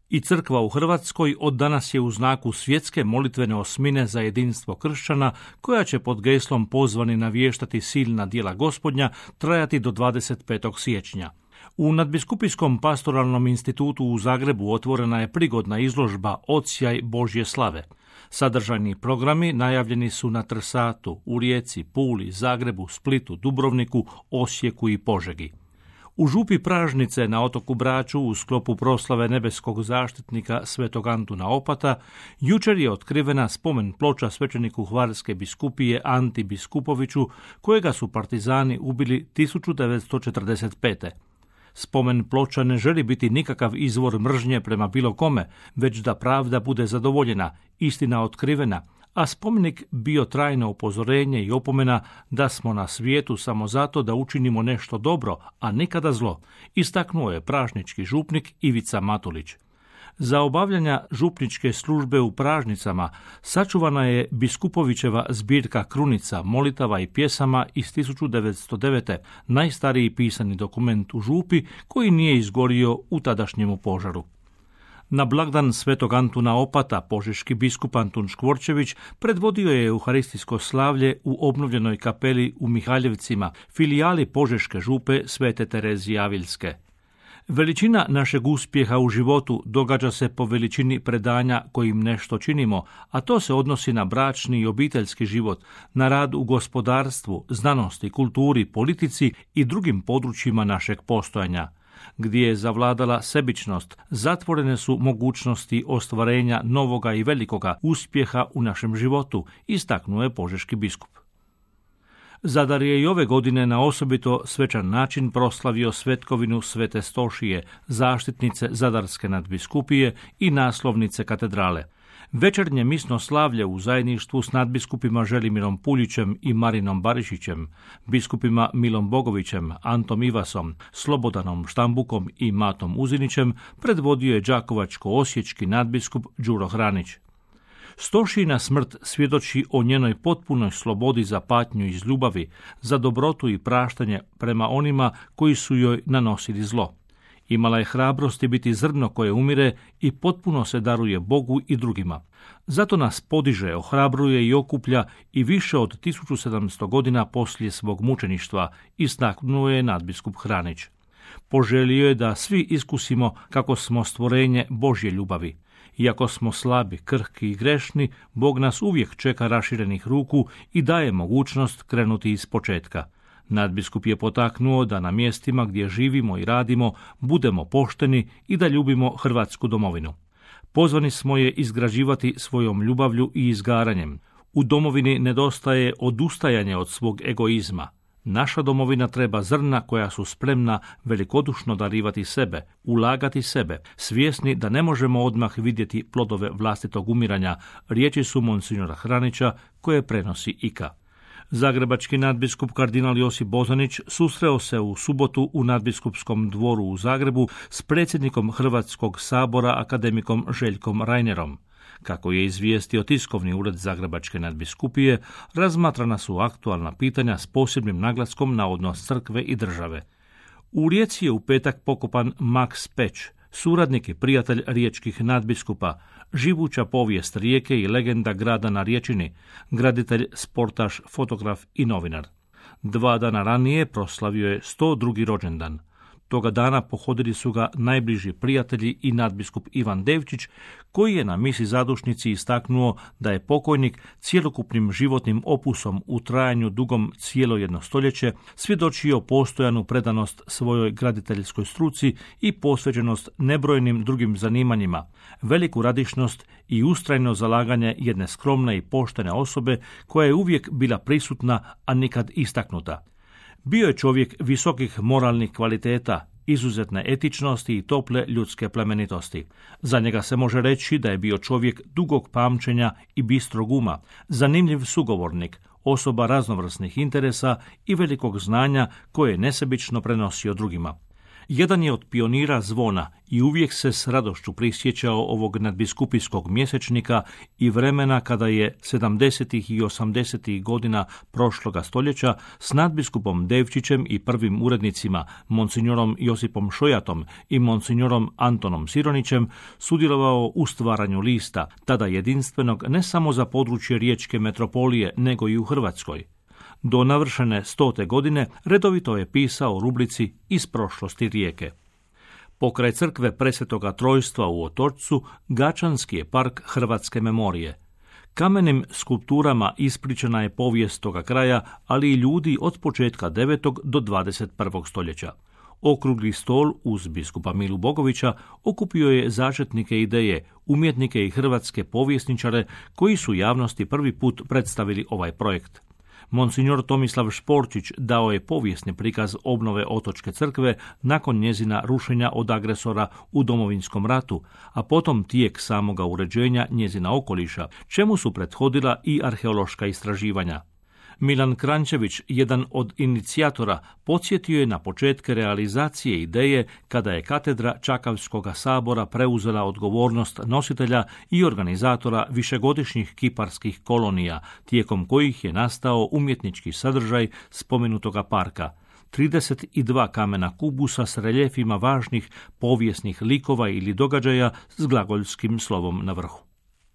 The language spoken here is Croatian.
I crkva u Hrvatskoj od danas je u znaku svjetske molitvene osmine za jedinstvo kršćana, koja će pod geslom pozvani navještati silna djela Gospodnja trajati do 25. siječnja. U Nadbiskupijskom pastoralnom institutu u Zagrebu otvorena je prigodna izložba Odsjaj Božje slave. Sadržajni programi najavljeni su na Trsatu, u Rijeci, Puli, Zagrebu, Splitu, Dubrovniku, Osijeku i Požegi. U župi Pražnice na otoku Braču u sklopu proslave nebeskog zaštitnika svetog Antuna Opata jučer je otkrivena spomen ploča svećeniku Hvarske biskupije Anti Biskupoviću, kojega su partizani ubili 1945. Spomen ploča ne želi biti nikakav izvor mržnje prema bilo kome, već da pravda bude zadovoljena, istina otkrivena, a spomenik bio trajno upozorenje i opomena da smo na svijetu samo zato da učinimo nešto dobro, a nikada zlo, istaknuo je pražnički župnik Ivica Matulić. Za obavljanja župničke službe u Pražnicama sačuvana je Biskupovićeva zbirka krunica, molitava i pjesama iz 1909. najstariji pisani dokument u župi koji nije izgorio u tadašnjemu požaru. Na blagdan svetog Antuna Opata požeški biskup Antun Škvorčević predvodio je euharistijsko slavlje u obnovljenoj kapeli u Mihaljevcima, filijali Požeške župe Svete Terezije Avilske. Veličina našeg uspjeha u životu događa se po veličini predanja kojim nešto činimo, a to se odnosi na bračni i obiteljski život, na rad u gospodarstvu, znanosti, kulturi, politici i drugim područjima našeg postojanja. Gdje je zavladala sebičnost, zatvorene su mogućnosti ostvarenja novoga i velikoga uspjeha u našem životu, istaknuo je požeški biskup. Zadar je i ove godine na osobito svečan način proslavio svetkovinu Svete Stošije, zaštitnice Zadarske nadbiskupije i naslovnice katedrale. Večernje misno slavlje u zajedništvu s nadbiskupima Želimirom Puljićem i Marinom Barišićem, biskupima Milom Bogovićem, Antom Ivasom, Slobodanom Štambukom i Matom Uzinićem predvodio je đakovačko-osječki nadbiskup Đuro Hranić. Stošijina smrt svjedoči o njenoj potpunoj slobodi za patnju iz ljubavi, za dobrotu i praštanje prema onima koji su joj nanosili zlo. Imala je hrabrosti biti zrno koje umire i potpuno se daruje Bogu i drugima. Zato nas podiže, ohrabruje i okuplja i više od 1700 godina poslije svog mučeništva, istaknuo je nadbiskup Hranić. Poželio je da svi iskusimo kako smo stvorenje Božje ljubavi. Iako smo slabi, krhki i grešni, Bog nas uvijek čeka raširenih ruku i daje mogućnost krenuti iz početka. Nadbiskup je potaknuo da na mjestima gdje živimo i radimo budemo pošteni i da ljubimo Hrvatsku domovinu. Pozvani smo je izgrađivati svojom ljubavlju i izgaranjem. U domovini nedostaje odustajanje od svog egoizma. Naša domovina treba zrna koja su spremna velikodušno darivati sebe, ulagati sebe, svjesni da ne možemo odmah vidjeti plodove vlastitog umiranja, riječi su monsinjora Hranića koje prenosi IKA. Zagrebački nadbiskup kardinal Josip Bozanić susreo se u subotu u nadbiskupskom dvoru u Zagrebu s predsjednikom Hrvatskog sabora akademikom Željkom Reinerom. Kako je izvijestio tiskovni ured Zagrebačke nadbiskupije, razmatrana su aktualna pitanja s posebnim naglaskom na odnos crkve i države. U Rijeci je u petak pokopan Max Peć, suradnik i prijatelj riječkih nadbiskupa, živuća povijest Rijeke i legenda grada na Riječini, graditelj, sportaš, fotograf i novinar. 2 dana ranije proslavio je 102. rođendan. Toga dana pohodili su ga najbliži prijatelji i nadbiskup Ivan Devčić, koji je na misi zadušnici istaknuo da je pokojnik cjelokupnim životnim opusom u trajanju dugom cijelo jedno stoljeće svjedočio postojanu predanost svojoj graditeljskoj struci i posvećenost nebrojnim drugim zanimanjima, veliku radišnost i ustrajno zalaganje jedne skromne i poštene osobe koja je uvijek bila prisutna, a nikad istaknuta. Bio je čovjek visokih moralnih kvaliteta, izuzetne etičnosti i tople ljudske plemenitosti. Za njega se može reći da je bio čovjek dugog pamćenja i bistrog uma, zanimljiv sugovornik, osoba raznovrsnih interesa i velikog znanja koje je nesebično prenosio drugima. Jedan je od pionira zvona i uvijek se s radošću prisjećao ovog nadbiskupijskog mjesečnika i vremena kada je 70. i 80. godina prošloga stoljeća s nadbiskupom Devčićem i prvim urednicima, monsignorom Josipom Šojatom i monsignorom Antonom Sironićem, sudjelovao u stvaranju lista, tada jedinstvenog ne samo za područje Riječke metropolije, nego i u Hrvatskoj. Do navršene 100. godine redovito je pisao u rubrici Iz prošlosti Rijeke. Pokraj crkve Presvetoga Trojstva u Otočcu, Gačanski je park hrvatske memorije. Kamenim skulpturama ispričana je povijest toga kraja, ali i ljudi od početka 9. do 21. stoljeća. Okrugli stol uz biskupa Milu Bogovića okupio je začetnike ideje, umjetnike i hrvatske povjesničare koji su javnosti prvi put predstavili ovaj projekt. Monsignor Tomislav Šporčić dao je povijesni prikaz obnove Otočke crkve nakon njezina rušenja od agresora u Domovinskom ratu, a potom tijek samoga uređenja njezina okoliša, čemu su prethodila i arheološka istraživanja. Milan Krančević, jedan od inicijatora, podsjetio je na početke realizacije ideje kada je katedra Čakavskoga sabora preuzela odgovornost nositelja i organizatora višegodišnjih kiparskih kolonija, tijekom kojih je nastao umjetnički sadržaj spomenutoga parka. 32 kamena kubusa s reljefima važnih povijesnih likova ili događaja s glagoljskim slovom na vrhu.